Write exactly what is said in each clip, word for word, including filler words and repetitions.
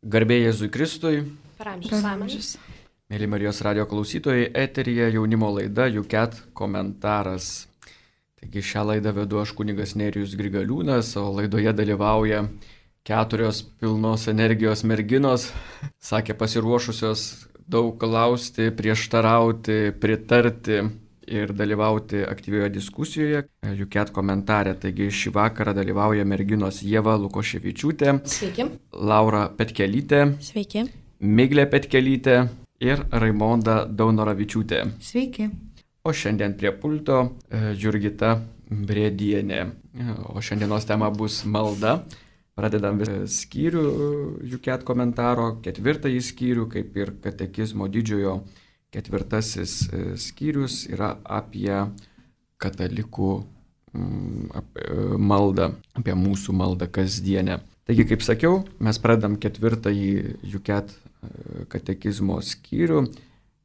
Garbė Jėzui Kristui. Per amžius. Mėly Marijos radijo klausytojai, eteryje jaunimo laida U C A T komentaras. Taigi šią laidą vedu aš kunigas Nerijus Grigaliūnas, o laidoje dalyvauja keturios pilnos energijos merginos, sakė pasiruošusios daug klausti, prieštarauti, pritarti ir dalyvauti aktyvioje diskusijoje U C A T komentare. Taigi šį vakarą dalyvauja merginos Ieva Lukoševičiūtė. Sveiki. Laura Petkelytė. Sveiki. Miglė Petkelytė ir Raimonda Daunoravičiūtė. Sveiki. O šiandien prie pulto Jurgita Brėdienė. O šiandienos tema bus malda. Pradedam skyrių U C A T komentaro, ketvirtąjį skyrių, kaip ir katekizmo didžiojo ketvirtasis skyrius yra apie katalikų apie maldą, apie mūsų maldą kasdienę. Taigi, kaip sakiau, mes pradedam ketvirtąjį U C A T katekizmo skyrių,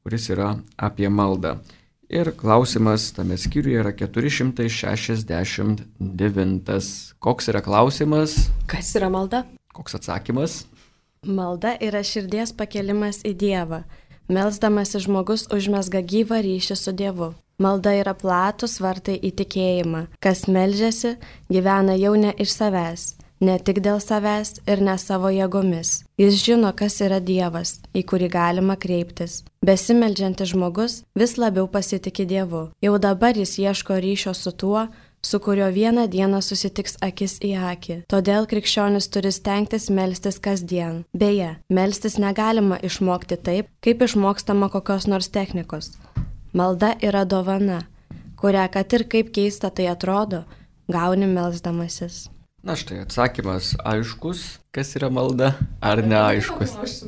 kuris yra apie maldą. Ir klausimas tame skyriuje yra keturi šimtai šešiasdešimt devintas. Koks yra klausimas? Kas yra malda? Koks atsakymas? Malda yra širdies pakelimas į Dievą. Melsdamasi žmogus užmesga gyvą ryšį su Dievu. Malda yra platus vartai į tikėjimą. Kas meldžiasi, gyvena jau ne iš savęs, ne tik dėl savęs ir ne savo jėgomis. Jis žino, kas yra Dievas, į kurį galima kreiptis. Besimeldžiantis žmogus vis labiau pasitiki Dievu. Jau dabar jis ieško ryšio su tuo, su kurio vieną dieną susitiks akis į akį. Todėl krikščionis turi stengtis melstis kasdien. Beje, melstis negalima išmokti taip, kaip išmokstama kokios nors technikos. Malda yra dovana, kurią, kad ir kaip keista tai atrodo, gauni melsdamasis. Na štai atsakymas aiškus, kas yra malda, ar neaiškus?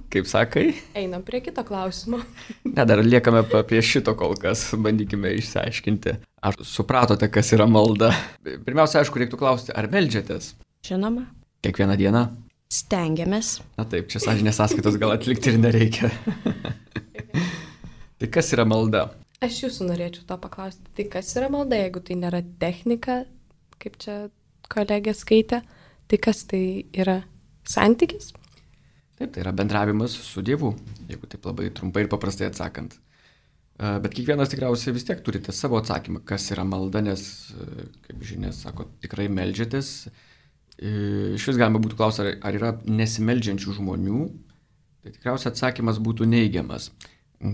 Kaip sakai? Einam prie kito klausimo. Ne, dar liekame prie šito kol kas, bandykime išsiaiškinti. Ar supratote, kas yra malda? Pirmiausia, aišku, reiktų klausti, ar meldžiatės? Žinoma. Kiekvieną dieną? Stengiamės. Na taip, čia sąžinės sąskaitos gal atlikti ir nereikia. Tai kas yra malda? Aš jūsų norėčiau to paklausti. Tai kas yra malda, jeigu tai nėra technika, kaip čia kolegė skaitė, tai kas tai yra santykis? Taip, tai yra bendravimas su Dievu, jeigu taip labai trumpai ir paprastai atsakant. Bet kiekvienas tikriausiai vis tiek turite savo atsakymą, kas yra malda, nes, kaip žinia, sako, tikrai meldžiatės. Iš vis galima būtų klausyti, ar yra nesimeldžiančių žmonių, tai tikriausiai atsakymas būtų neigiamas.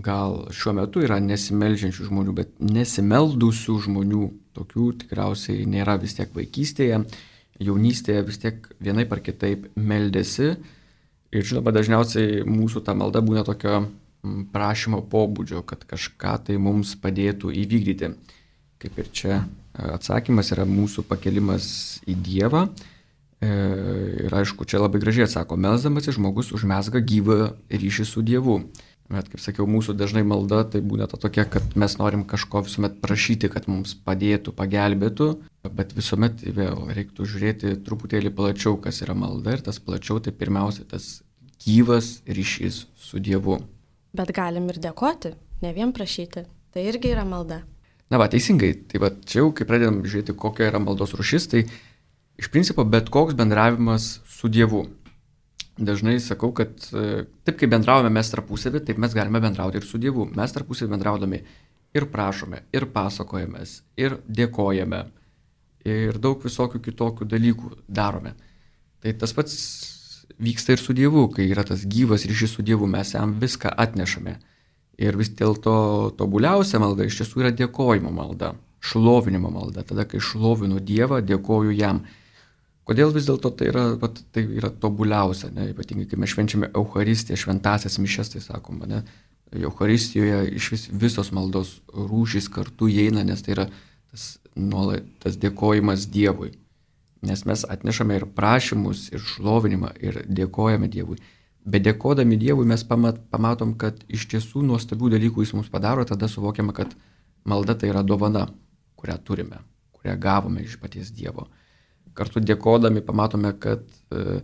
Gal šiuo metu yra nesimeldžiančių žmonių, bet nesimeldusių žmonių, tokių tikriausiai nėra. Vis tiek vaikystėje, jaunystėje vis tiek vienaip ar kitaip meldėsi. Ir žinoma, dažniausiai mūsų ta malda būna tokio prašymo pobūdžio, kad kažką tai mums padėtų įvykdyti. Kaip ir čia atsakymas yra mūsų pakelimas į Dievą. Ir aišku, čia labai gražiai atsako, melsdamasis žmogus užmesga gyvą ryšį su Dievu. Bet, kaip sakiau, mūsų dažnai malda tai būna ta tokia, kad mes norim kažko visuomet prašyti, kad mums padėtų, pagelbėtų, bet visuomet vėl reiktų žiūrėti truputėlį plačiau, kas yra malda, ir tas plačiau tai pirmiausia tas gyvas ryšys su Dievu. Bet galim ir dėkoti, ne vien prašyti. Tai irgi yra malda. Na va, teisingai. Tai va, čia jau, kai pradedam žiūrėti, kokia yra maldos rūšis, tai iš principo bet koks bendravimas su Dievu. Dažnai sakau, kad taip kaip bendravome mes tarpusavį, taip mes galime bendrauti ir su Dievu. Mes tarpusavį bendraudami ir prašome, ir pasakojamės, ir dėkojame, ir daug visokių kitokių dalykų darome. Tai tas pats vyksta ir su Dievu, kai yra tas gyvas ryšys su Dievu, mes jam viską atnešame. Ir vis dėlto tobuliausia malda iš tiesų yra dėkojimo malda, šlovinimo malda. Tada, kai šlovinu Dievą, dėkoju jam. Kodėl vis dėlto tai yra, tai yra tobuliausia, ne? Ypatingai, kai mes švenčiame Eucharistiją, šventąsias mišias, tai sakoma, ne? Eucharistijoje iš vis visos maldos rūšys kartu įeina, nes tai yra tas, nuolat, tas dėkojimas Dievui. Nes mes atnešame ir prašymus, ir šlovinimą, ir dėkojame Dievui. Bet dėkodami Dievui mes pamat, pamatom, kad iš tiesų nuostabių dalykų jis mums padaro, tada suvokiame, kad malda tai yra dovana, kurią turime, kurią gavome iš paties Dievo. Kartu dėkodami pamatome, kad e,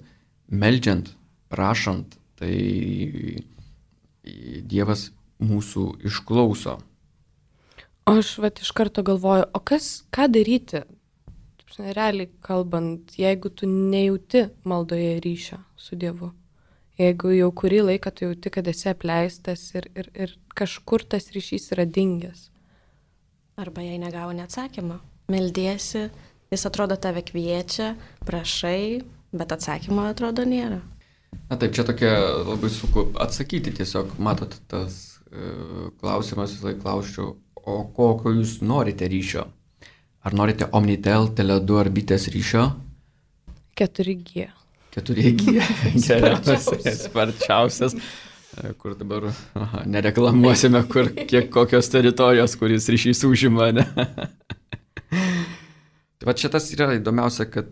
meldžiant, prašant, tai Dievas mūsų išklauso. O aš vat iš karto galvoju, o kas, ką daryti? Realiai kalbant, jeigu tu nejauti maldoje ryšio su Dievu, jeigu jau kurį laiką tu jauti, kad esi apleistas ir, ir, ir kažkur tas ryšys yra dingęs. Arba jei negauni atsakymą, meldiesi, jis atrodo tave kviečia, prašai, bet atsakymo atrodo nėra. Na taip, čia tokia labai sunku atsakyti, tiesiog matot tas e, klausimas, visą laiką klausčiau, o kokio jūs norite ryšio? Ar norite Omnitel, Tele du ar Bitės ryšio? keturi G. keturi G, geriausias, sparčiausias, kur dabar aha, nereklamuosime, kur kiek kokios teritorijos, kuris ryšys užima, ne? Tai va čia tas yra įdomiausia, kad,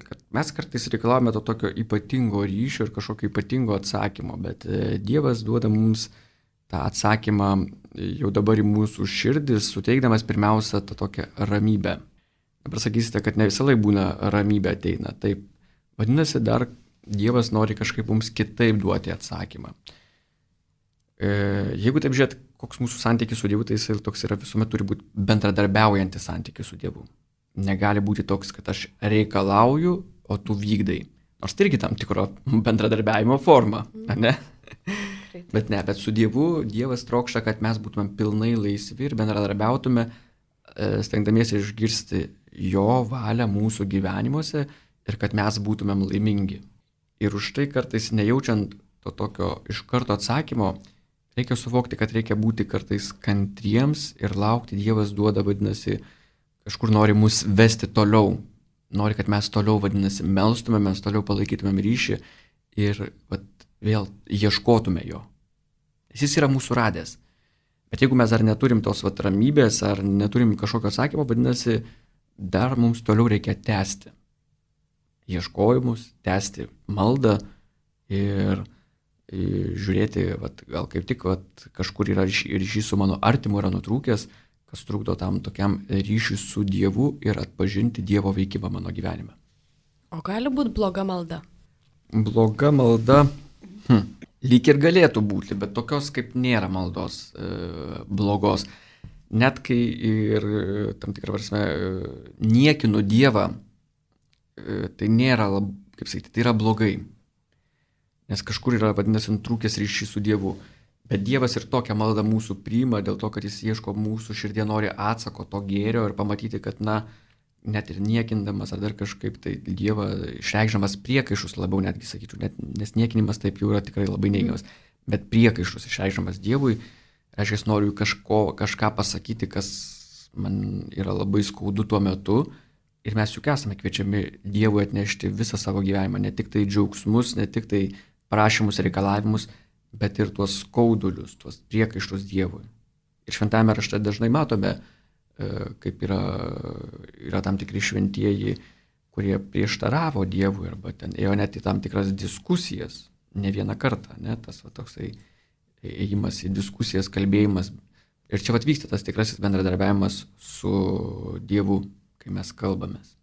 kad mes kartais reikalavome to tokio ypatingo ryšio ir kažkokio ypatingo atsakymo, bet Dievas duoda mums tą atsakymą jau dabar į mūsų širdis, suteikdamas pirmiausia tą tokią ramybę. Dabar sakysite, kad ne visą laiką būna ramybė ateina. Taip, vadinasi, dar Dievas nori kažkaip mums kitaip duoti atsakymą. E, jeigu taip žiūrėt, koks mūsų santykis su Dievu, tai jis toks yra visuomet turi būti bendradarbiaujantis santykis su Dievu. Negali būti toks, kad aš reikalauju, o tu vykdai. Nors tai irgi tam tikro bendradarbiavimo forma, ne? Bet ne, bet su Dievu, Dievas trokšta, kad mes būtumėm pilnai laisvi ir bendradarbiautume, stengdamiesi išgirsti jo valią mūsų gyvenimuose ir kad mes būtumėm laimingi. Ir už tai kartais nejaučiant to tokio iš karto atsakymo, reikia suvokti, kad reikia būti kartais kantriems ir laukti. Dievas duoda, vadinasi, kažkur nori mus vesti toliau. Nori, kad mes toliau, vadinasi, melstume, mes toliau palaikytumėm ryšį ir vat, vėl ieškotume jo. Jis yra mūsų radęs. Bet jeigu mes dar neturim tos vat, ramybės ar neturim kažkokio atsakymo, vadinasi, dar mums toliau reikia tęsti ieškojimus, tęsti maldą ir, ir žiūrėti, vat, gal kaip tik vat, kažkur yra ryšys su mano artimu yra nutrūkęs, kas trukdo tam tokiam ryšiui su Dievu ir atpažinti Dievo veikimą mano gyvenime. O gali būti bloga malda? Bloga malda, hm, lyg ir galėtų būti, bet tokios kaip nėra maldos e, blogos. Net kai ir tam tikrą prasme niekinu Dievą, e, tai nėra, lab, kaip sakyti, tai yra blogai. Nes kažkur yra, vadinasi, nutrūkęs ryšys su Dievu. Bet Dievas ir tokią maldą mūsų priima dėl to, kad jis ieško mūsų širdie, nori atsako to gėrio ir pamatyti, kad, na, net ir niekindamas ar dar kažkaip tai Dievą išreikšdamas priekaišus labiau netgi sakyčiau, net, nes niekinimas taip jau yra tikrai labai neigiamas, bet priekaišus išreikšdamas Dievui, reiškia, jis noriu kažko, kažką pasakyti, kas man yra labai skaudu tuo metu ir mes juk esame kviečiami Dievui atnešti visą savo gyvenimą, ne tik tai džiaugsmus, ne tik tai prašymus, reikalavimus, bet ir tuos skaudulius, tuos priekaištus Dievui. Ir šventame rašte dažnai matome, kaip yra, yra tam tikri šventieji, kurie prieštaravo Dievui arba ten ėjo net į tam tikras diskusijas, ne vieną kartą, ne, tas va, toksai ėjimas į diskusijas, kalbėjimas. Ir čia vat vyksta tas tikrasis bendradarbiavimas su Dievu, kai mes kalbamės.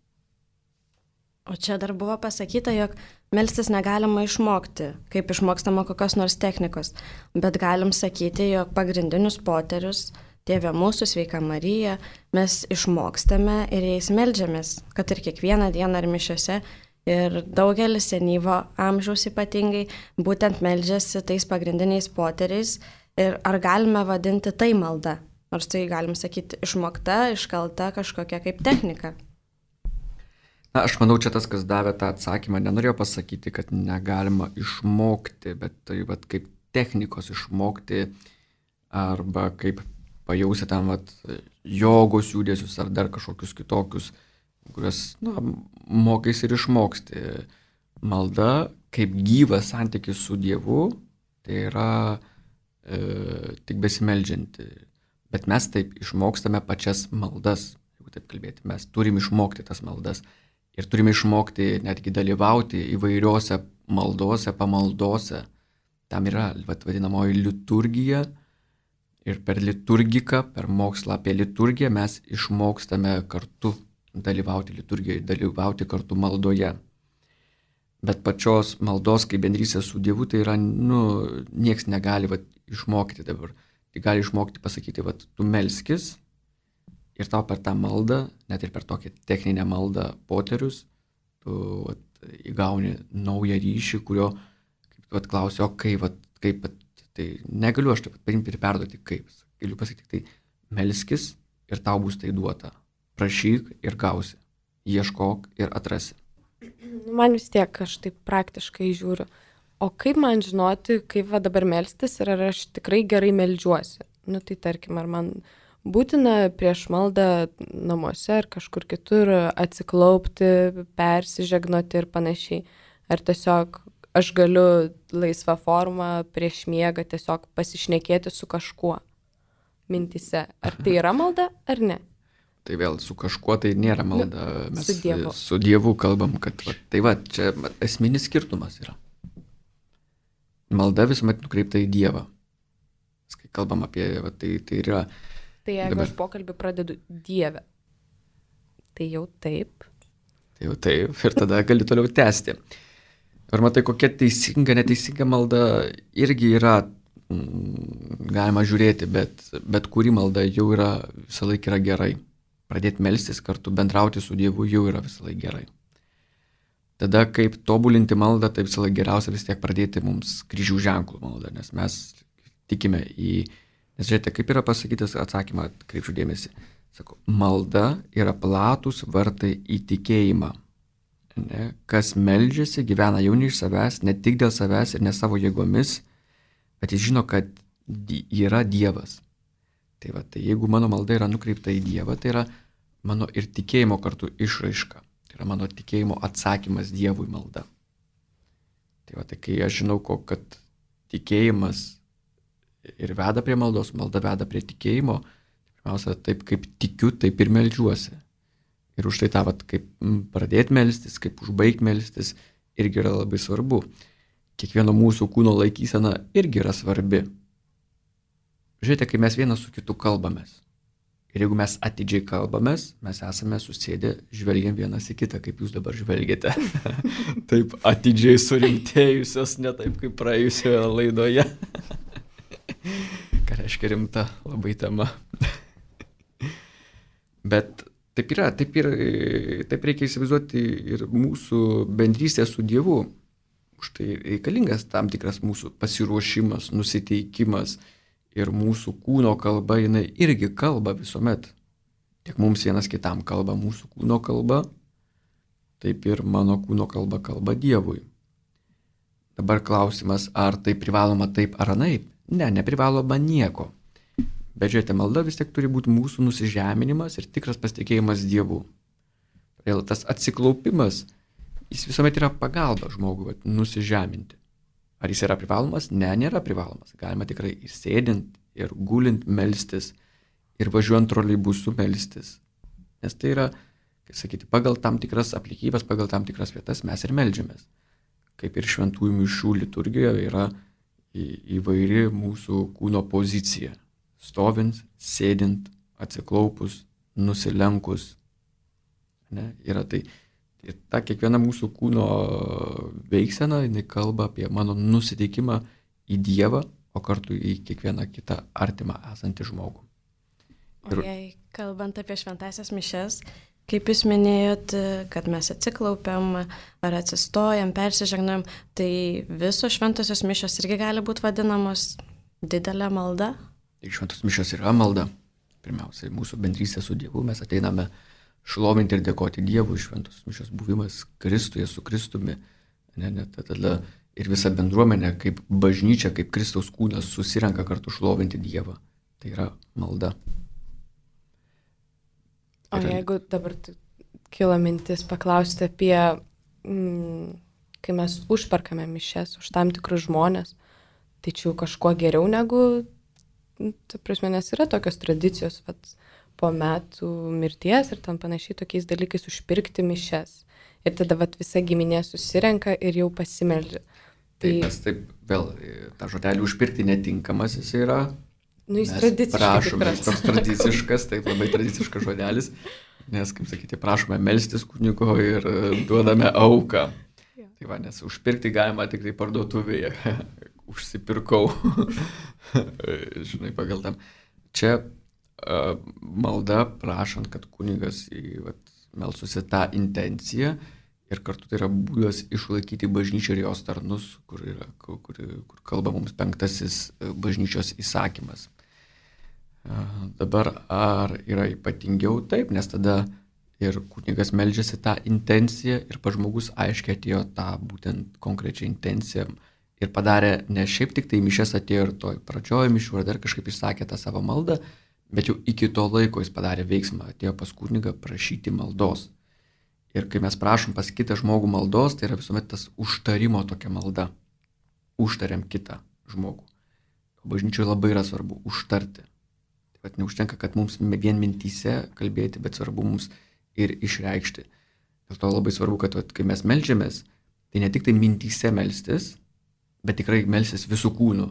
O čia dar buvo pasakyta, jog melstis negalima išmokti, kaip išmokstama kokios nors technikos, bet galim sakyti, jog pagrindinius poterius, Tėve mūsų, Sveika Marija, mes išmokstame ir jais meldžiamės, kad ir kiekvieną dieną ar mišiose. Ir daugelis senyvo amžiaus ypatingai būtent meldžiasi tais pagrindiniais poteriais. Ir ar galime vadinti tai malda? Nors tai galim sakyti išmokta, iškalta kažkokia kaip technika. Na, aš manau, čia tas, kas davė tą atsakymą, nenorėjo pasakyti, kad negalima išmokti, bet tai vat, kaip technikos išmokti arba kaip pajausi tam vat, jogos judesius ar dar kažkokius kitokius, kuriuos na, mokais ir išmoksti. Malda kaip gyvas santykis su Dievu, tai yra e, tik besimeldžianti. Bet mes taip išmokstame pačias maldas, jeigu taip kalbėti. Mes turim išmokti tas maldas ir turime išmokti netgi dalyvauti įvairiose maldose, pamaldose. Tam yra vat, vadinamoji liturgija. Ir per liturgiką, per mokslą apie liturgiją mes išmokstame kartu dalyvauti liturgijoje, dalyvauti kartu maldoje. Bet pačios maldos kaip bendrystės su Dievu, tai yra, nu, nieks negali vat, išmokti dabar. Tai gali išmokti pasakyti, vat, tu melskis ir tau per tą maldą, net ir per tokią techninę maldą poterius, tu vat, įgauni naują ryšį, kurio, kaip tu atklausi, o kaip, vat, kaip, vat, tai negaliu aš taip paimti ir perduoti kaip. Galiu pasakyti, tai melskis ir tau bus tai duota. Prašyk ir gausi. Ieškok ir atrasi. Man vis tiek, aš taip praktiškai žiūriu. O kaip man žinoti, kaip va dabar melstis ir ar aš tikrai gerai meldžiuosi? Nu tai tarkim, ar man būtina prieš maldą namuose ar kažkur kitur atsiklaupti, persižegnoti ir panašiai. Ar tiesiog aš galiu laisvą formą prieš miegą tiesiog pasišnekėti su kažkuo mintyse. Ar tai yra malda, ar ne? Tai vėl su kažkuo tai nėra malda. Mes su Dievu. Su Dievu kalbam, kad va, tai va, čia esminis skirtumas yra. Malda visuomet nukreipta į Dievą. Kai kalbam apie, va, tai, tai yra... Tai jeigu dabar... aš pokalbį pradedu Dieve, tai jau taip. Tai jau taip, ir tada gali toliau tęsti. Ir matai, kokia teisinga, neteisinga malda irgi yra, mm, galima žiūrėti, bet, bet kuri malda jau yra, visą laiką yra gerai. Pradėti melstis kartu, bendrauti su Dievu jau yra visą laiką gerai. Tada, kaip tobulinti maldą, tai visą laiką geriausia vis tiek pradėti mums kryžių ženklų maldą, nes mes tikime į... Nes žiūrėte, kaip yra pasakytas atsakymą, kreipčiau dėmesį. Sako, malda yra platus vartai į tikėjimą. Ne? Kas meldžiasi, gyvena jau ne iš savęs, ne tik dėl savęs ir ne savo jėgomis, bet jis žino, kad yra Dievas. Tai va, tai jeigu mano malda yra nukreipta į Dievą, tai yra mano ir tikėjimo kartu išraiška. Tai yra mano tikėjimo atsakymas Dievui malda. Tai va, tai kai aš žinau, ko, kad tikėjimas ir veda prie maldos, malda veda prie tikėjimo, pirmiausia, taip kaip tikiu, taip ir meldžiuosi. Ir už tai tą, vat, kaip pradėti melstis, kaip užbaigti melstis, irgi yra labai svarbu. Kiekvieno mūsų kūno laikysena irgi yra svarbi. Žiūrėte, kai mes vienas su kitu kalbamės. Ir jeigu mes atidžiai kalbamės, mes esame susėdę, žvelgiam vienas į kitą, kaip jūs dabar žvelgiate. Taip atidžiai surimtėjusios, ne taip kaip praėjusioje laidoje. Ką reiškia rimta labai tema. Bet taip yra, taip, ir, taip reikia įsivaizduoti ir mūsų bendrystę su Dievu. Už tai reikalingas tam tikras mūsų pasiruošimas, nusiteikimas ir mūsų kūno kalba, jinai irgi kalba visuomet. Tiek mums vienas kitam kalba mūsų kūno kalba, taip ir mano kūno kalba kalba Dievui. Dabar klausimas, ar tai privaloma taip ar anaip? Ne, neprivaloma nieko. Bet žiūrėte, malda vis tiek turi būti mūsų nusižeminimas ir tikras pasitikėjimas Dievu. Todėl tas atsiklaupimas, jis visuomet yra pagalba žmogui vat, nusižeminti. Ar jis yra privalomas? Ne, nėra privalomas. Galima tikrai ir sėdint, ir gulint melstis, ir važiuojant troleibusu melstis. Nes tai yra, kaip sakyti, pagal tam tikras aplinkybes, pagal tam tikras vietas mes ir meldžiamės. Kaip ir šventųjų mišių liturgijoje yra įvairi mūsų kūno pozicija. Stovint, sėdint, atsiklaupus, nusilenkus. Ne, yra tai. Ir ta kiekviena mūsų kūno veiksena, jinai kalba apie mano nusiteikimą į Dievą, o kartu į kiekvieną kitą artimą esantį žmogų. Ir... O jei kalbant apie šventąsias mišias, kaip jūs minėjot, kad mes atsiklaupiam ar atsistojam, persižegnojam, tai visos šventosios mišios irgi gali būti vadinamos didelė malda? Tai šventos mišios yra malda. Pirmiausia, mūsų bendrystė su Dievu, mes ateiname šlovinti ir dėkoti Dievui, šventos mišios buvimas Kristuje su Kristumi. Ne, ne, tada ir visa bendruomenė, kaip bažnyčia, kaip Kristaus kūnas susirenka kartu šlovinti Dievą. Tai yra malda. O ir... jeigu dabar kilo mintis paklausti apie, mm, kai mes užperkame mišias už tam tikrus žmonės, tai čia kažkuo geriau negu, ta prasme, nes yra tokios tradicijos, vat, po metų mirties ir tam panašiai tokiais dalykais užpirkti mišias. Ir tada vat, visa giminė susirenka ir jau pasimeldžia. Tai taip, mes taip, vėl, tą žodelį užpirkti netinkamas jis yra. Nu, jis tradiciškas. Prašome, jis toks tradiciškas, taip labai tradiciškas žodelis, nes, kaip sakyti, prašome melstis kunigo ir duodame auką. Ja. Tai va, nes užpirkti galima tik tai parduotuvėje. Užsipirkau. Žinai, pagal tam. Čia malda, prašant, kad kunigas melstusi tą intenciją ir kartu tai yra būdas išlaikyti bažnyčią ir jos tarnus, kur, yra, kur, kur kalba mums penktasis bažnyčios įsakymas. Dabar ar yra ypatingiau? Taip, nes tada ir kunigas meldžiasi tą intenciją ir pats žmogus aiškiai atėjo tą būtent konkrečią intenciją ir padarė, ne šiaip tik tai mišes atėjo ir toj pradžioj mišių ar dar kažkaip išsakė tą savo maldą, bet jau iki to laiko jis padarė veiksmą, atėjo pas kunigą prašyti maldos. Ir kai mes prašom pas kitą žmogų maldos, tai yra visuomet tas užtarimo tokia malda. Užtariam kitą žmogų. O bažnyčioje labai yra svarbu užtarti. Taip pat neužtenka, kad mums vien mintyse kalbėti, bet svarbu mums ir išreikšti. Dėl to labai svarbu, kad vat, kai mes meldžiamės, tai ne tik tai mintyse melstis, bet tikrai melstis visų kūnų.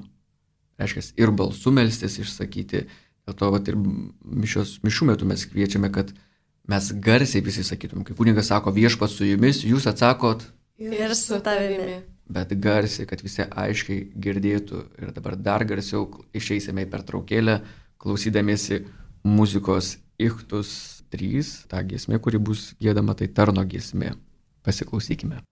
Reiškia, ir balsu melstis išsakyti. Dėl to vat, ir mišios, mišių metu mes kviečiame, kad mes garsiai visi sakytum. Kai kunigas sako viešpats su jumis, jūs atsakot ir su tavimi. Bet garsiai, kad visi aiškiai girdėtų. Ir dabar dar garsiau išeisime į pertraukėlę, klausydamiesi muzikos Ichtus trys, ta giesmė, kuri bus giedama, tai tarno giesmė. Pasiklausykime.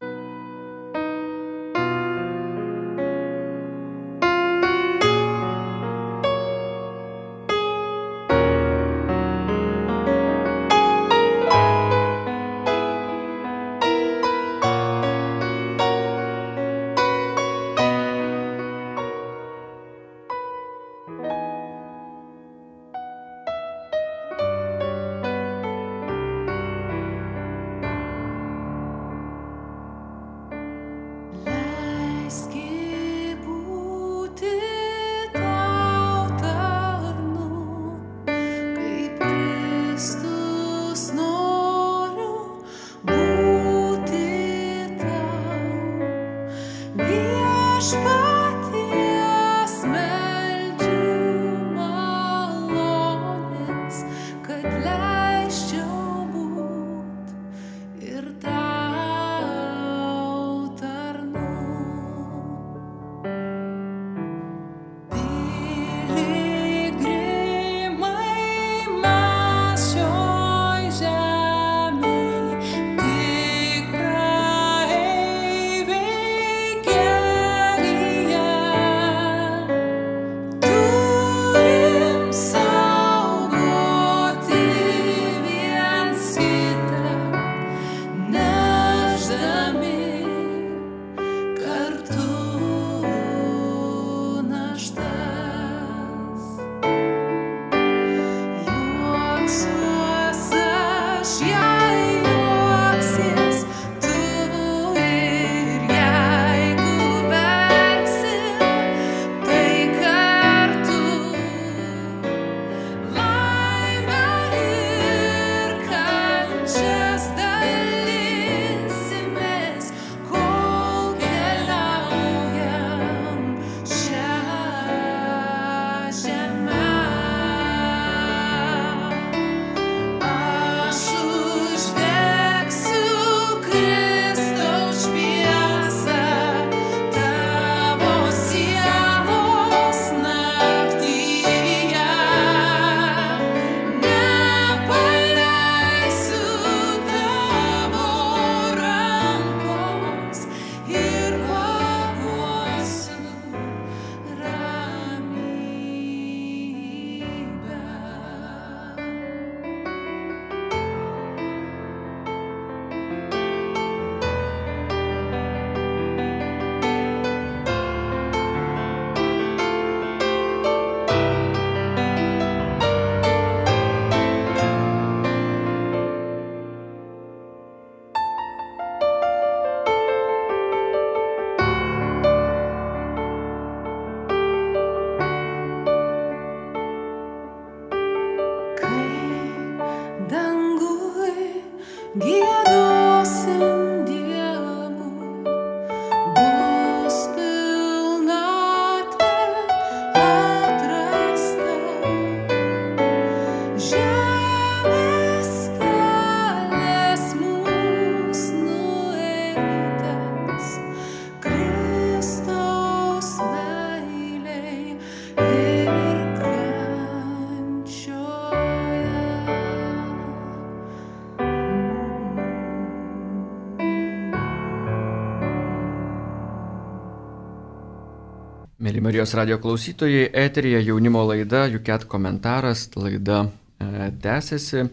Mėly Marijos radio klausytojai, eteryje jaunimo laida U C A T komentaras, laida e, tęsiasi.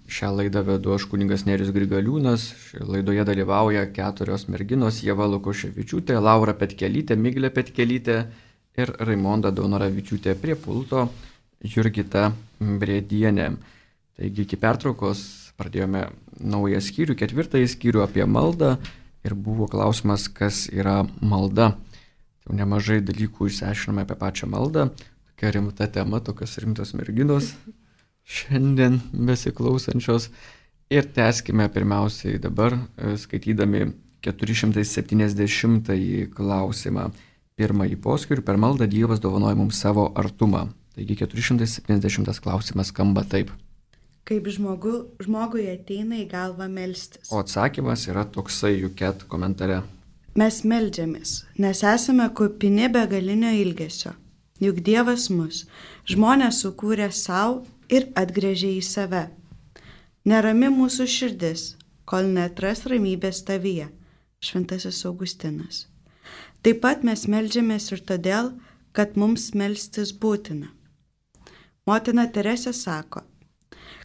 Šią laidą vedu aš kunigas Nerijus Grigaliūnas, šioje laidoje dalyvauja keturios merginos: Ieva Lukoševičiūtė, Laura Petkelytė, Miglė Petkelytė ir Raimonda Daunoravičiūtė, prie pulto Jurgita Brėdienė. Taigi iki pertraukos pradėjome naują skyrių, ketvirtąjį skyrių apie maldą ir buvo klausimas, kas yra malda. Jau nemažai dalykų išsiaiškinome apie pačią maldą, tokia rimta tema, tokios rimtos merginos šiandien besiklausančios. Ir tęskime pirmiausiai dabar skaitydami keturi šimtai septyniasdešimtąjį klausimą. Pirmąjį poskyrių: per maldą Dievas dovanoja mums savo artumą. Taigi keturi šimtai septyniasdešimtas klausimas skamba taip. Kaip žmogu, žmogui ateina į galvą melstis. O atsakymas yra toksai U C A T komentare. Mes meldžiamės, nes esame kupini begalinio ilgesio. Juk Dievas mus, žmonės, sukūrė savo ir atgręžė į save. Nerami mūsų širdis, kol netras ramybės tavyje. Šventasis Augustinas. Taip pat mes meldžiamės ir todėl, kad mums melstis būtina. Motina Teresė sako: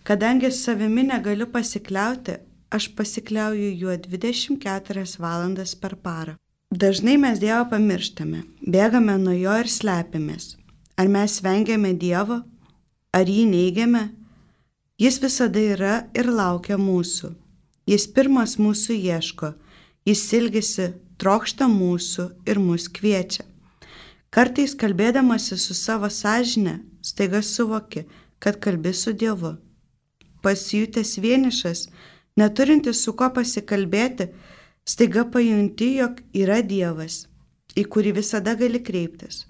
kadangi savimi negaliu pasikliauti, aš pasikliauju juo dvidešimt keturias valandas per parą. Dažnai mes Dievą pamirštame, bėgame nuo jo ir slepiamės. Ar mes vengiame Dievo? Ar jį neigiame? Jis visada yra ir laukia mūsų. Jis pirmas mūsų ieško, jis ilgisi, trokšta mūsų ir mus kviečia. Kartais kalbėdamasi su savo sąžine, staiga suvoki, kad kalbi su Dievu. Pasijutęs vienišas, neturintis su kuo pasikalbėti, staiga pajunti, jog yra Dievas, į kurį visada gali kreiptis.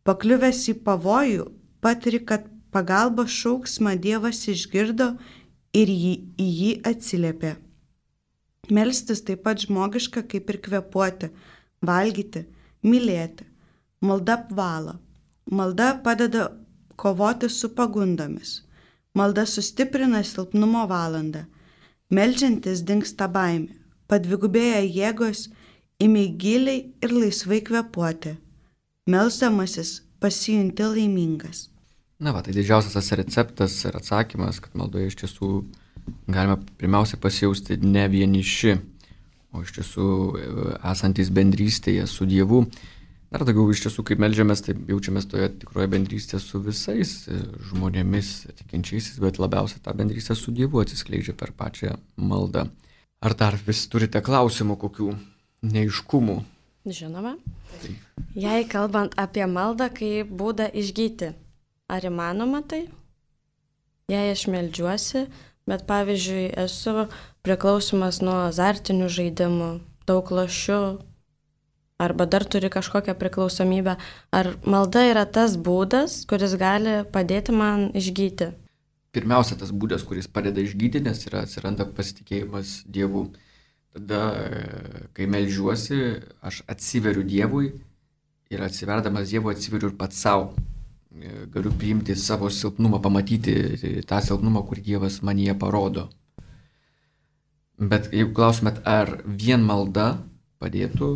Pakliuvęs į pavojų, patiri, kad pagalbos šauksmą Dievas išgirdo ir jį, į jį atsiliepė. Melstis taip pat žmogiška kaip ir kvėpuoti, valgyti, mylėti. Malda apvalo. Malda padeda kovoti su pagundomis. Malda sustiprina silpnumo valandą. Meldžiantis dingsta baimė. Padvigubėja jėgos, imi giliai ir laisvai kvėpuoti. Melsdamasis pasijunti laimingas. Na va, tai didžiausias tas receptas ir atsakymas, kad maldoje iš tiesų galime pirmiausia pasijausti ne vieniši, o iš tiesų esantis bendrystėje su Dievu. Dar daugiau iš tiesų, kaip meldžiamės, tai jaučiamės toje tikroje bendrystėje su visais žmonėmis, tikinčiaisiais, bet labiausiai tą bendrystę su Dievu atsiskleidžia per pačią maldą. Ar dar vis turite klausimų, kokių neaiškumų? Žinoma. Tai. Jei kalbant apie maldą kaip būdą išgyti, ar įmanoma tai? Jei aš meldžiuosi, bet pavyzdžiui esu priklausomas nuo azartinių žaidimų, daug lošiu, arba dar turi kažkokią priklausomybę, ar malda yra tas būdas, kuris gali padėti man išgyti? Pirmiausia, tas būdas, kuris padeda išgyti, nes yra atsiranda pasitikėjimas Dievu. Tada, kai meldžiuosi, aš atsiveriu Dievui ir atsiverdamas Dievui atsiveriu ir pats savo. Galiu priimti savo silpnumą, pamatyti tą silpnumą, kurį Dievas manyje parodo. Bet jeigu klausimėt, ar vien malda padėtų,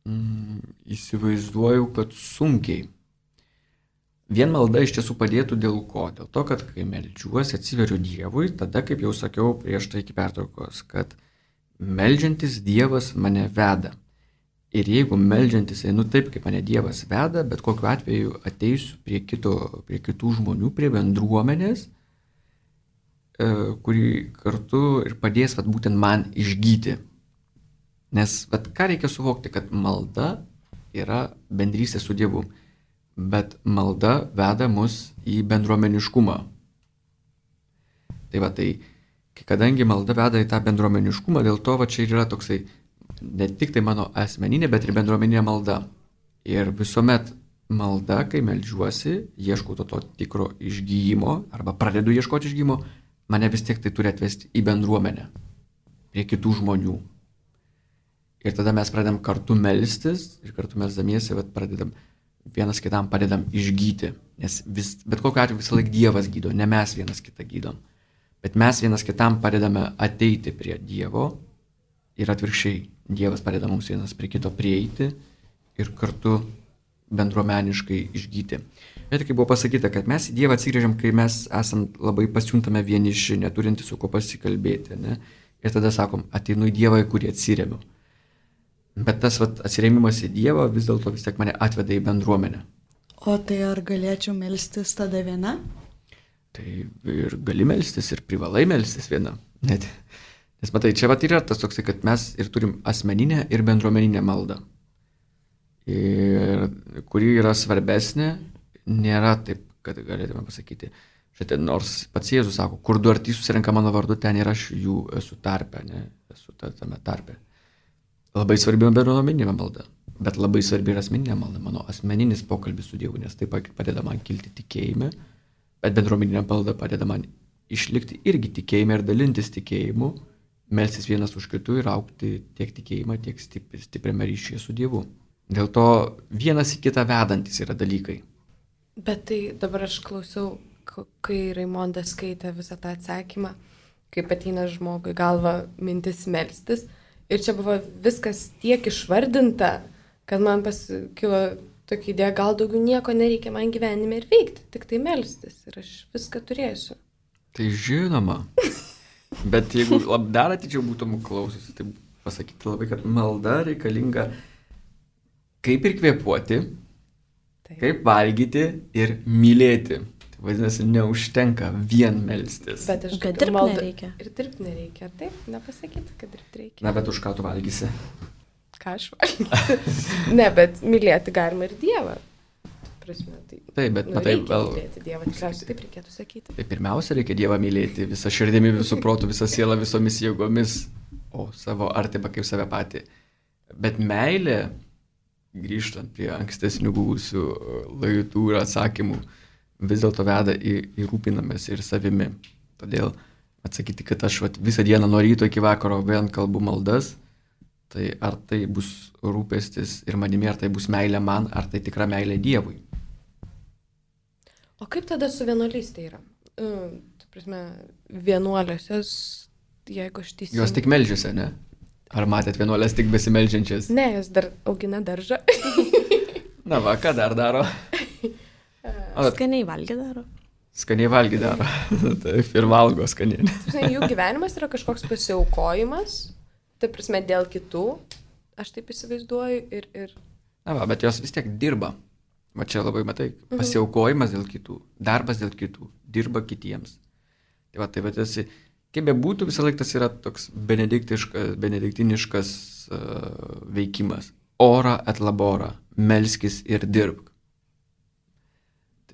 mm, įsivaizduoju, kad sunkiai. Vien malda iš tiesų padėtų dėl ko? Dėl to, kad kai meldžiuosi, atsiveriu Dievui, tada, kaip jau sakiau prieš tai iki pertraukos, kad meldžiantis Dievas mane veda. Ir jeigu meldžiantis einu taip, kaip mane Dievas veda, bet kokiu atveju ateisiu prie, kito, prie kitų žmonių, prie bendruomenės, e, kuri kartu ir padės vat, būtent man išgyti. Nes vat, ką reikia suvokti, kad malda yra bendrystė su Dievu, bet malda veda mus į bendruomeniškumą. Tai va, tai kadangi malda veda į tą bendruomeniškumą, dėl to va, čia yra toksai ne tik tai mano asmeninė, bet ir bendruomeninė malda. Ir visuomet malda, kai meldžiuosi, ieškau to, to tikro išgyjimo, arba pradedu ieškoti išgyjimo, mane vis tiek tai turi atvesti į bendruomenę, prie kitų žmonių. Ir tada mes pradedam kartu melstis, ir kartu melsdamiesi, bet pradedam vienas kitam padedam išgyti. Nes vis, bet kokiu atveju visą laiką Dievas gydo, ne mes vienas kitą gydom. Bet mes vienas kitam padedame ateiti prie Dievo ir atvirkščiai. Dievas padeda mums vienas prie kito prieiti ir kartu bendruomeniškai išgyti. Bet kaip buvo pasakyta, kad mes į Dievą atsigrėžiam, kai mes esam labai pasijuntame vieniši, neturinti su kuo pasikalbėti. Ne? Ir tada sakom, ateinu į Dievą, į kurį atsiremiu. Bet tas vat, atsiremimas į Dievą vis dėlto vis tiek mane atveda į bendruomenę. O tai ar galėčiau melstis tada viena? Tai ir gali melstis, ir privalai melstis viena. Net. Nes matai, čia vat yra tas toksai, kad mes ir turim asmeninę ir bendruomeninę maldą. Ir kuri yra svarbesnė, nėra taip, kad galėtume pasakyti. Štai, nors pats Jėzus sako, kur du ar trys susirenka mano vardu, ten ir aš jų esu tarpe, ne, esu tame tarpe. Labai svarbi bendruomeninė malda, bet labai svarbi ir asmeninė malda, mano asmeninis pokalbis su Dievu, nes tai padeda man kilti tikėjime, bet bendruomeninė malda padeda man išlikti irgi tikėjime ir dalintis tikėjimu, melstis vienas už kitų ir augti tiek tikėjimą, tiek stipriame ryšyje su Dievu. Dėl to vienas į kitą vedantis yra dalykai. Bet tai dabar aš klausiau, kai Raimondas skaitė visą tą atsakymą, kaip ateina žmogui galva mintis melstis. Ir čia buvo viskas tiek išvardinta, kad man pasikilo tokia idėja, gal daugiau nieko nereikia man gyvenime ir veikti, tik tai melstis ir aš viską turėsiu. Tai žinoma. Bet jeigu dar atidžiau būtum klausiusi, tai pasakyti labai, kad malda reikalinga kaip ir kvėpuoti, Taip. Kaip valgyti ir mylėti. Tai vadinasi, neužtenka vien melstis. Bet aš kad dirbti malda... nereikia. Ir dirbti nereikia. Taip, nepasakyti, kad dirbti reikia. Na, bet už ką tu valgysi? Ką aš valgysiu? Ne, bet mylėti galima ir Dievą. Prasme, tai, taip, bet nu, matai, reikia vėl... mylėti Dievą, tikriausiai taip reikėtų sakyti. Tai pirmiausia, reikia Dievą mylėti visą širdimi, visų protų, visą sielą, visomis jėgomis, o savo artimą kaip save patį. Bet meilė, grįžtant prie ankstesnių buvusių laidų ir atsakymų, vis dėlto veda į, į rūpinamės ir savimi. Todėl atsakyti, kad aš vat, visą dieną nuo ryto iki vakaro vien kalbu maldas, tai ar tai bus rūpestis ir manimi, ar tai bus meilė man, ar tai tikra meilė Dievui. O kaip tada su vienuolystė yra? Uh, tu prasme, vienuoliosios, jeigu aš teisingai... Jos tik meldžiasi, ne? Ar matėt vienuolės tik besimeldžiančias? Ne, jos dar augina daržą. Na va, ką dar daro? Skaniai valgy daro. Skaniai valgy daro. Taip, ir valgo skaniai. Jų gyvenimas yra kažkoks pasiaukojimas, tai prasme dėl kitų, aš taip įsivaizduoju ir... ir... Na va, bet jos vis tiek dirba. Va čia labai matai, pasiaukojimas dėl kitų, darbas dėl kitų, dirba kitiems. Tai va, tai vadinasi, kaip be būtų, visą laiką tas yra toks benediktiniškas uh, veikimas. Ora et labora, melskis ir dirbk.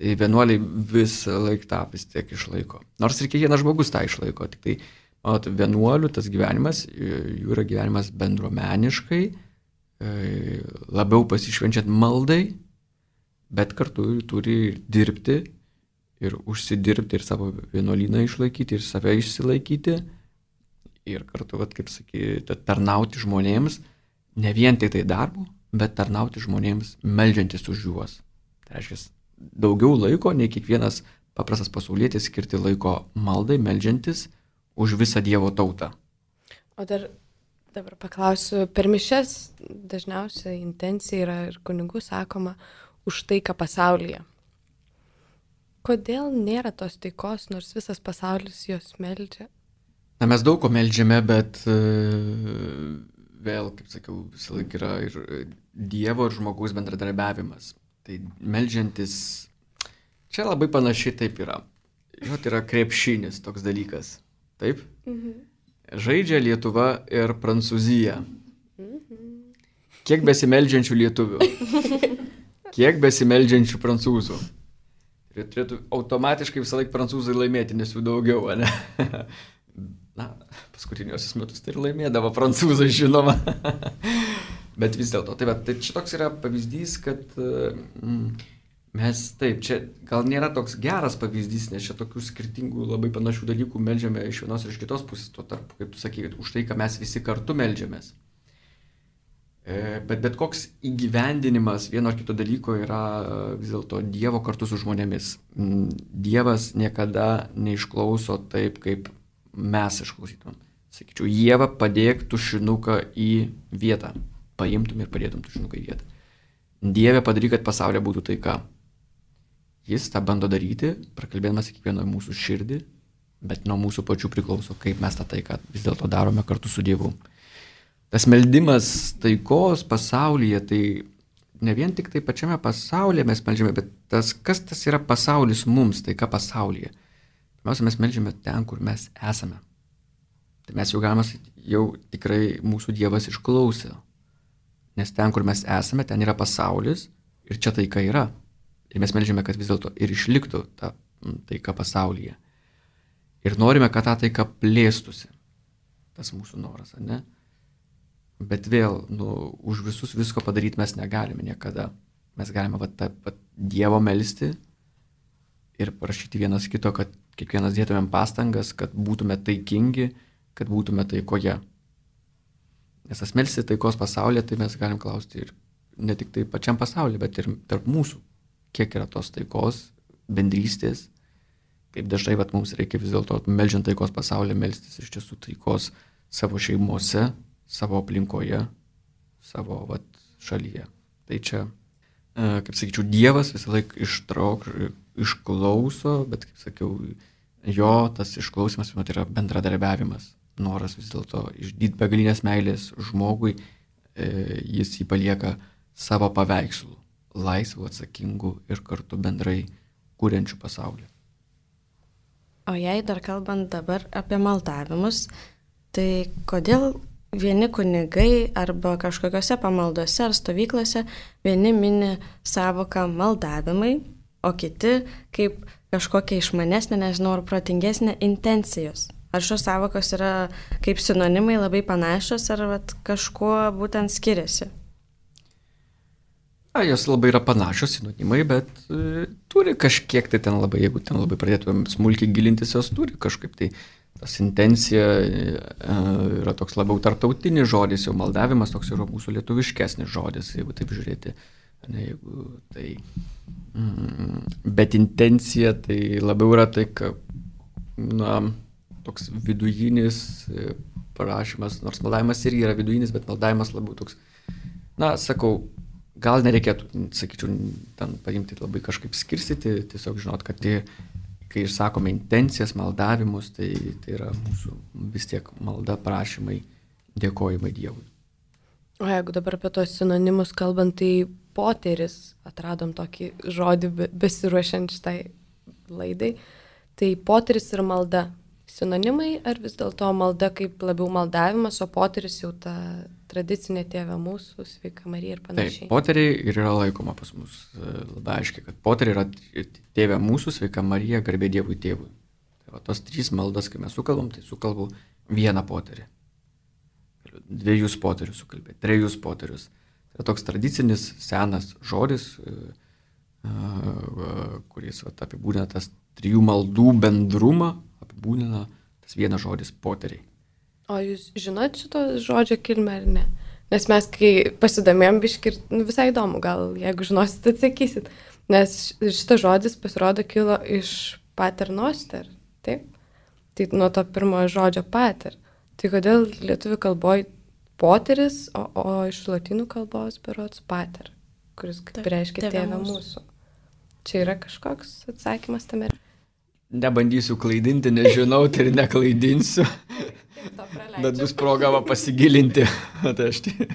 Tai vienuoliai visą laiką tą vis tiek išlaiko. Nors ir kiekvienas žmogus tą išlaiko. Tik tai, manot, vienuolių tas gyvenimas, jų yra gyvenimas bendruomeniškai, labiau pasišvenčiant maldai, bet kartu turi dirbti ir užsidirbti, ir savo vienuolyną išlaikyti, ir save išsilaikyti, ir kartu, vat, kaip sakyti, tarnauti žmonėms, ne vien tai tai darbu, bet tarnauti žmonėms, meldžiantis už juos. Tai reiškia, daugiau laiko, nei kiekvienas paprastas pasaulietis skirti laiko maldai, meldžiantis už visą Dievo tautą. O dar dabar paklausiu, per mišias dažniausiai intencija yra ir kunigų sakoma už taiką pasaulyje. Kodėl nėra tos taikos, nors visas pasaulis jos meldžia? Na, mes daug ko meldžiame, bet vėl, kaip sakiau, visą laiką yra ir Dievo ir žmogaus bendradarbiavimas. Tai meldžiantis, čia labai panašiai taip yra. Jo, tai yra krepšinis toks dalykas. Taip? Mhm. Žaidžia Lietuva ir Prancūzija. Mhm. Kiek besimeldžiančių lietuvių? Kiek besimeldžiančių prancūzų? Ir turėtų automatiškai visą laiką prancūzai laimėti, nes jų daugiau, ne? Na, paskutiniosius metus tai ir laimėdavo prancūzai, žinoma. Bet vis dėlto, tai, tai čia toks yra pavyzdys, kad mm, mes taip, čia gal nėra toks geras pavyzdys, nes čia tokių skirtingų labai panašių dalykų meldžiame iš vienos ir iš kitos pusės, tuo tarpu, kaip tu sakai, už tai, ką mes visi kartu meldžiamės. Bet bet koks įgyvendinimas vieno ar kito dalyko yra vis dėlto Dievo kartu su žmonėmis. Dievas niekada neišklauso taip, kaip mes išklausytumėm. Sakyčiau, Ieva, padėk tušinuką į vietą. Paimtum ir padėtum tušinuką į vietą. Dieve padaryk, kad pasaulyje būtų taika. Jis tą bando daryti, prakalbėdamas kiekvieno mūsų širdį, bet nuo mūsų pačių priklauso, kaip mes tą taiką vis dėlto darome kartu su Dievu. Tas meldimas taikos pasaulyje, tai ne vien tik tai pačiame pasaulyje mes meldžiame, bet tas, kas tas yra pasaulis mums, taika pasaulyje. Pirmiausia, mes meldžiame ten, kur mes esame. Tai mes jau galime, jau tikrai mūsų Dievas išklausė. Nes ten, kur mes esame, ten yra pasaulis ir čia taika yra. Ir mes meldžiame, kad vis dėlto ir išliktų ta taika pasaulyje. Ir norime, kad ta taika plėstųsi. Tas mūsų noras, ne? Bet vėl, nu, už visus visko padaryti mes negalime niekada. Mes galime va, ta, va, Dievo melsti ir prašyti vienas kito, kad kiekvienas dėtumėm pastangas, kad būtume taikingi, kad būtume taikoje. Nes tas melsti taikos pasaulyje, tai mes galim klausti ir ne tik tai pačiam pasaulyje, bet ir tarp mūsų. Kiek yra tos taikos, bendrystės, kaip dažnai vat, mums reikia vis dėlto meldžiant taikos pasaulyje melstis iš tiesų taikos savo šeimose, savo aplinkoje, savo vat, šalyje. Tai čia, kaip sakyčiau, Dievas visą laiką ištrauk, išklauso, bet kaip sakiau, jo tas išklausimas tai yra bendradarbiavimas, noras vis dėlto išdyti begalinės meilės žmogui, jis jį palieka savo paveikslų. Laisvų, atsakingų ir kartu bendrai kūrenčių pasaulį. O jei dar kalbant dabar apie maldavimus, tai kodėl vieni kunigai arba kažkokiose pamaldose ar stovyklose vieni mini savoką maldavimai, o kiti kaip kažkokia išmanesnė, nežinau, ar protingesnė intencijos? Ar šios savokos yra kaip sinonimai labai panašios, ar vat, kažkuo būtent skiriasi? Na, jos labai yra panašios sinonimai, bet e, turi kažkiek tai ten labai, jeigu ten labai pradėtumėm smulkiai gilintis, jos turi kažkaip tai. Tas intencija e, yra toks labiau tarptautinis žodis, jau maldavimas toks yra mūsų lietuviškesnis žodis, jeigu taip žiūrėti. Ne, jeigu tai, mm, bet intencija tai labiau yra tai, kad, na, toks vidujinis prašymas, nors maldavimas irgi yra vidujinis, bet maldavimas labiau toks, na, sakau, gal nereikėtų, sakyčiau, ten paimti labai kažkaip skirstyti, tiesiog žinot, kad tai, kai išsakome intencijas, maldavimus, tai, tai yra mūsų vis tiek malda, prašymai, dėkojimai Dievui. O jeigu dabar apie tos sinonimus kalbant, tai poteris, atradom tokį žodį besiruošiant šitai laidai, tai poteris ir malda. Sinonimai ar vis dėlto malda kaip labiau maldavimas, o poteris jau ta tradicinė Tėve mūsų, Sveika Marija ir panašiai. Taip, poteriai ir yra laikoma pas mus labai aiškiai, kad poteriai yra Tėve mūsų, Sveika Marija, garbė Dievui Tėvui. Tai va, tos trys maldas, kai mes sukalbam, tai sukalbu vieną poterį. Dviejus poterius sukalbė, trejus poterius. Tai yra toks tradicinis, senas žodis, kuris va, apibūdina tas trijų maldų bendrumą, apibūdina tas vienas žodis poteriai. O jūs žinot šito žodžio kilmę ar ne? Nes mes, kai pasidomėjom biškį, nu, visai įdomu, gal jeigu žinosit, atsakysit. Nes šitas žodis pasirodo kilo iš paternoster, taip? Tai nuo to pirmojo žodžio pater. Tai kodėl lietuvių kalboje poteris, o, o iš lotynų kalbos berods pater, kuris kaip reiškia Tėve mūsų. Čia yra kažkoks atsakymas tame? Nebandysiu klaidinti, nežinau, tai ir neklaidinsiu. Bet bus proga pasigilinti. Tai aš tai.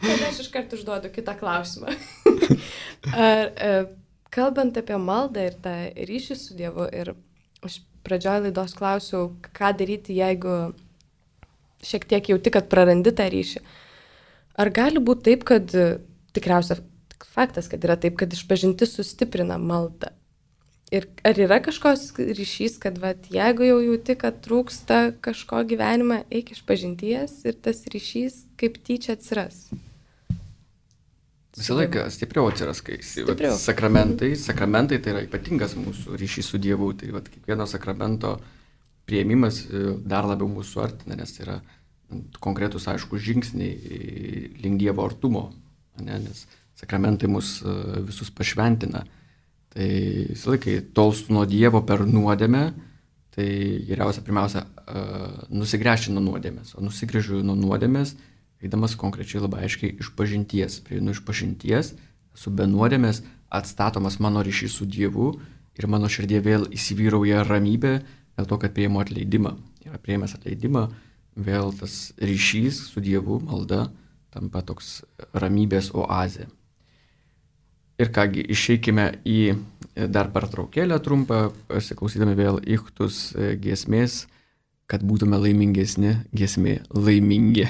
Tada aš iš karto užduodu kitą klausimą. Ar, e, kalbant apie maldą ir tą ryšį su Dievu, ir aš pradžioje laidos klausiau, ką daryti, jeigu šiek tiek jauti, kad prarandi tą ryšį. Ar gali būti taip, kad tikriausia faktas, kad yra taip, kad išpažintis sustiprina maldą? Ir ar yra kažkoks ryšys, kad vat, jeigu jau jauti, kad trūksta kažko gyvenime, eik išpažinties ir tas ryšys kaip tyčia atsiras? Visą laiką stipriau atsiras, kai stipriau. Vat, sakramentai, sakramentai tai yra ypatingas mūsų ryšys su Dievu, tai vat, kiekvieno sakramento priėmimas dar labiau mūsų artina, nes tai yra konkretus aiškus žingsniai link Dievo artumo, ne? Nes sakramentai mus visus pašventina. Tai visą laiką tolstu nuo Dievo per nuodėmę, tai geriausia pirmiausia nusigręžti nuo nuodėmės. O nusigręžiu nuo nuodėmės eidamas konkrečiai labai aiškiai iš pažinties. Prieinu iš pažinties, esu be nuodėmės, atstatomas mano ryšys su Dievu ir mano širdie vėl įsivyrauja ramybė dėl to, kad prieimu atleidimą. Ir prieimęs atleidimą, vėl tas ryšys su Dievu, malda, tampa toks ramybės oazė. Ir kągi, išeikime į dar pertraukėlę trumpą, pasiklausydami vėl Ichtus giesmės, kad būtume laimingesni, giesmė laimingi.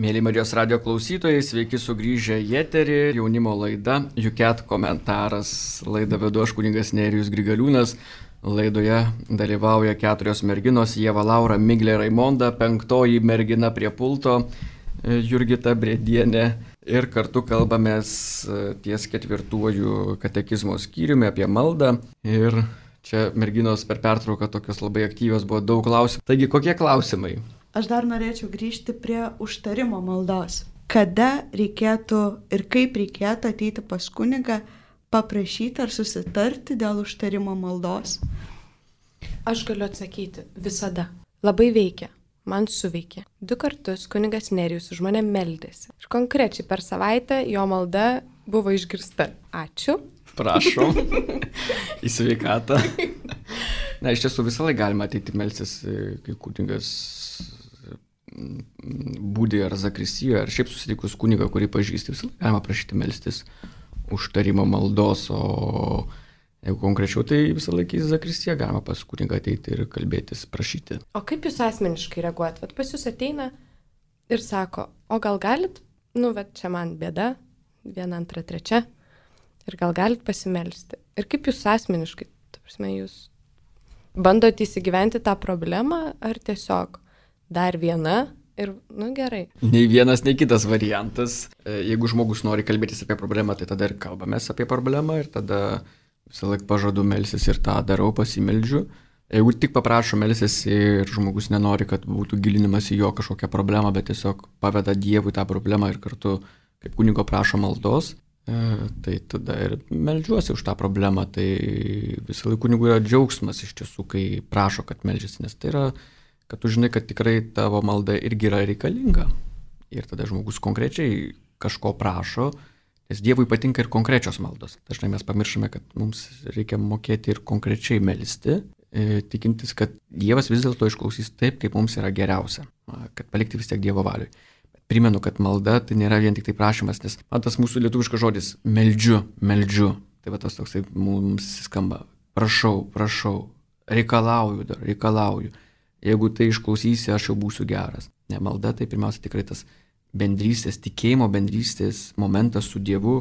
Mėly Marijos radio klausytojai, sveiki sugrįžę į eterį, jaunimo laida, Juket komentaras. Laidą vedu aš kunigas Nerijus Grigaliūnas. Laidoje dalyvauja keturios merginos, Ieva, Laura, Miglė, Raimonda, penktoji mergina prie pulto, Jurgita Bredienė. Ir kartu kalbamės ties ketvirtuoju katekizmo skyriumi apie maldą. Ir čia merginos per pertrauką tokios labai aktyvios, buvo daug klausimų. Taigi, kokie klausimai? Aš dar norėčiau grįžti prie užtarimo maldos. Kada reikėtų ir kaip reikėtų ateiti pas kunigą, paprašyti ar susitarti dėl užtarimo maldos? Aš galiu atsakyti, visada. Labai veikia, man suveikė. Du kartus kunigas Nerijus už mane meldėsi. Ir konkrečiai per savaitę jo malda buvo išgirsta. Ačiū. Prašom. Į sveikatą. Na, iš tiesų visą laiką galima ateiti melstis, kai kunigas būdė ar zakristijoje, ar šiaip susitikus kunigą, kurį pažįsti, visą laiką galima prašyti melstis užtarimo maldos, o jeigu konkrečiau, tai visą laiką į zakristiją galima pas kunigą ateiti ir kalbėtis, prašyti. O kaip jūs asmeniškai reaguojat? Vat pas jūs ateina ir sako, o gal galit, nu, va čia man bėda, viena, antra, trečia, ir gal galit pasimelsti. Ir kaip jūs asmeniškai, ta prasme, jūs bandote įsigyventi tą problemą, ar tiesiog dar viena ir, nu, gerai. Nei vienas, nei kitas variantas. Jeigu žmogus nori kalbėtis apie problemą, tai tada ir kalbamės apie problemą ir tada visą laiką pažadu melsis ir tą darau, pasimeldžiu. Jeigu tik paprašo melsis ir žmogus nenori, kad būtų gilinimas į jo kažkokią problemą, bet tiesiog paveda Dievui tą problemą ir kartu kaip kunigo prašo maldos, tai tada ir meldžiuosi už tą problemą. Tai visą laiką kunigų yra džiaugsmas iš tiesų, kai prašo, kad meldžiasi, nes tai yra, kad tu žinai, kad tikrai tavo malda irgi yra reikalinga. Ir tada žmogus konkrečiai kažko prašo, nes Dievui patinka ir konkrečios maldos. Dažnai mes pamiršame, kad mums reikia mokėti ir konkrečiai melsti, tikintis, kad Dievas vis dėlto išklausys taip, kaip mums yra geriausia, kad palikti vis tiek Dievo valiui. Primenu, kad malda tai nėra vien tik tai prašymas, nes man tas mūsų lietuviškas žodis meldžiu, meldžiu, tai va tas toksai mums skamba, prašau, prašau, reikalauju dar, reikalauju. Jeigu tai išklausysi, aš jau būsiu geras. Ne, malda tai pirmiausia tikrai tas bendrystės, tikėjimo bendrystės momentas su Dievu,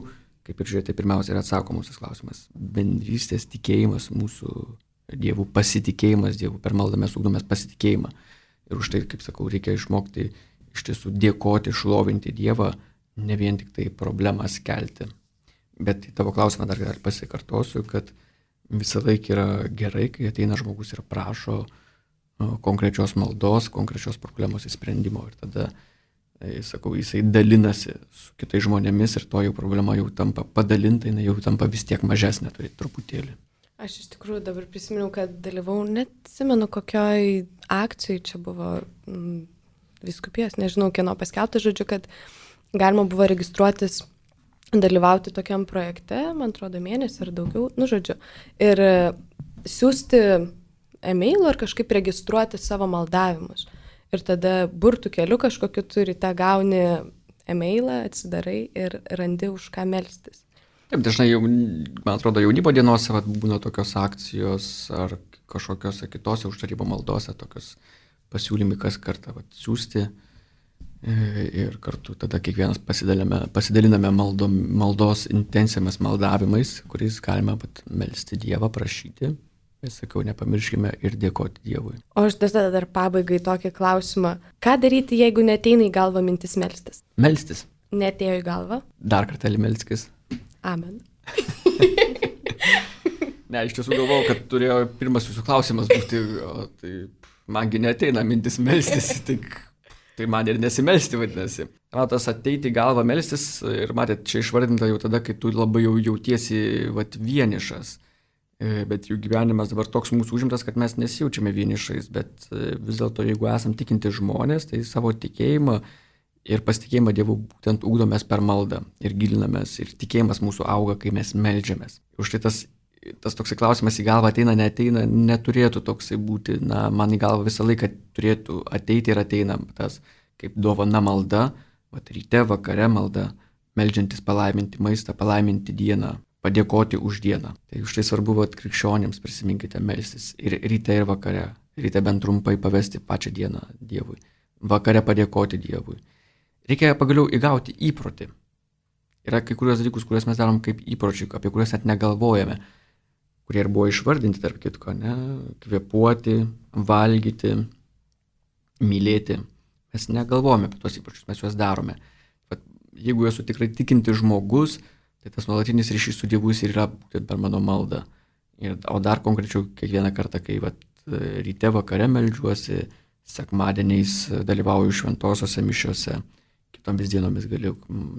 kaip ir žiūrėti, pirmiausia yra atsakomusis klausimas. Bendrystės tikėjimas mūsų Dievu, pasitikėjimas Dievu, per maldą mes ugdomės pasitikėjimą. Ir už tai, kaip sakau, reikia išmokti iš tiesų dėkoti, šlovinti Dievą, ne vien tik tai problemas kelti. Bet į tavo klausimą dar pasikartosiu, kad visą laiką yra gerai, kai ateina žmogus ir prašo konkrečios maldos, konkrečios problemos įsprendimo. Ir tada sakau, jisai dalinasi su kitais žmonėmis ir to jau problema jau tampa padalinta, jinai jau tampa vis tiek mažesnė, turi truputėlį. Aš iš tikrųjų dabar prisiminiau, kad dalyvau, net atsimenu, kokioj akcijai čia buvo mm, vyskupijos, nežinau, kieno paskelbta, žodžiu, kad galima buvo registruotis, dalyvauti tokiam projekte, man atrodo, mėnesį ar daugiau, nu, žodžiu, ir siūsti e-mailą ar kažkaip registruoti savo maldavimus. Ir tada burtų keliu kažkokiu turi, tą gauni e-mailą, atsidarai ir randi už ką melstis. Taip, dažnai, jau, man atrodo, jaunimo dienose vat, būna tokios akcijos ar kažkokios kitose užtarimo maldose, tokios pasiūlymai kas kartą vat, siūsti ir kartu tada kiekvienas pasidaliname maldo, maldos intencijomis maldavimais, kuriais galime vat, melsti Dievą, prašyti. Ir sakau, nepamirškime ir dėkoti Dievui. O aš tada dar pabaigai tokį klausimą. Ką daryti, jeigu neteina į galvą mintis melstis? Melstis. Netėjo į galvą? Dar kartelį melskis. Amen. Ne, iš tiesų galvojau, kad turėjo pirmas jūsų klausimas būti, o tai mangi neteina mintis melstis, tai, tai man ir nesimelsti vadinasi. Man tas ateiti į galvą melstis ir matėt, čia išvardinta jau tada, kai tu labai jau jautiesi vat, vienišas. Bet jų gyvenimas dabar toks mūsų užimtas, kad mes nesijaučiame vienišais, bet vis dėlto, jeigu esam tikinti žmonės, tai savo tikėjimą ir pasitikėjimą Dievu būtent ugdomės per maldą ir gilinamės ir tikėjimas mūsų auga, kai mes meldžiamės. Už tai tas, tas toksai klausimas į galvą ateina, neateina, neturėtų toksai būti, na, man į galvą visą laiką turėtų ateiti ir ateina tas kaip dovana malda, vat ryte, vakare malda, meldžiantis palaiminti maistą, palaiminti dieną, padėkoti už dieną. Tai už tai svarbu, kad krikščionėms prisiminkite melstis ir ryte ir vakare. Ryte bent trumpai pavesti pačią dieną Dievui. Vakare padėkoti Dievui. Reikia pagaliau įgauti įprotį. Yra kai kurios dalykus, kuriuos mes darom kaip įpročiai, apie kuriuos net negalvojame, kurie ir buvo išvardinti, tarp kitko, ne? Kvėpuoti, valgyti, mylėti. Mes negalvojame apie tos įpročius, mes juos darome. Bet jeigu esu tikrai tikinti žmogus, tai tas nuolatinis ryšys su Dievu ir yra būtent per mano maldą. Ir, o dar konkrečiau kiekvieną kartą, kai vat, ryte vakare meldžiuosi, sekmadieniais dalyvauju šventosiose mišiose, kitomis dienomis galiu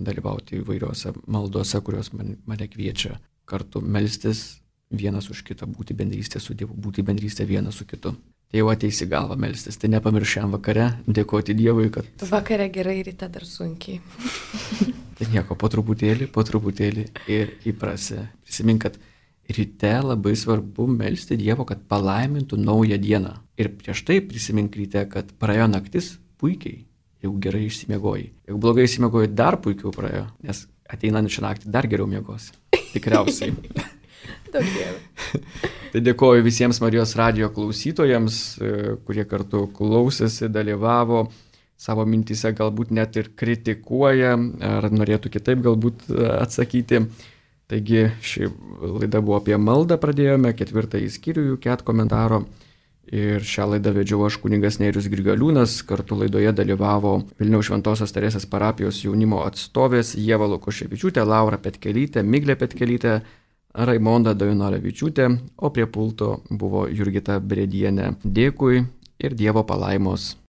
dalyvauti įvairiose maldose, kurios man, mane kviečia kartu melstis vienas už kitą, būti bendrystė su Dievu, būti bendrystė vienas su kitu. Tai jau ateis į galvą melstis, tai nepamiršėm vakare, dėkoti Dievui, kad... Vakare gerai, ryte dar sunkiai. Tai nieko, po truputėlį, po truputėlį ir įprasi. Prisimink, kad ryte labai svarbu melsti Dievo, kad palaimintų naują dieną. Ir prieš tai prisimink ryte, kad praėjo naktis puikiai, jeigu gerai išsimiegojai. Jeigu blogai išsimiegojai, dar puikiau praėjo, nes ateinančią naktį dar geriau miegosi. tikriausiai. Daug dievų. Tai dėkoju visiems Marijos radijo klausytojams, kurie kartu klausėsi, dalyvavo, savo mintyse galbūt net ir kritikuoja, ar norėtų kitaip galbūt atsakyti. Taigi ši laida buvo apie maldą, pradėjome ketvirtąjį skyrių jų ket komentaro. Ir šią laidą vedžiau aš kunigas Nerijus Grigaliūnas, kartu laidoje dalyvavo Vilniaus Šventosios Teresės parapijos jaunimo atstovės Ieva Lukoševičiūtė, Laura Petkelytė, Miglė Petkelytė, Raimonda Dainorevičiūtė, o prie pulto buvo Jurgita Bredienė. Dėkui ir Dievo palaimos.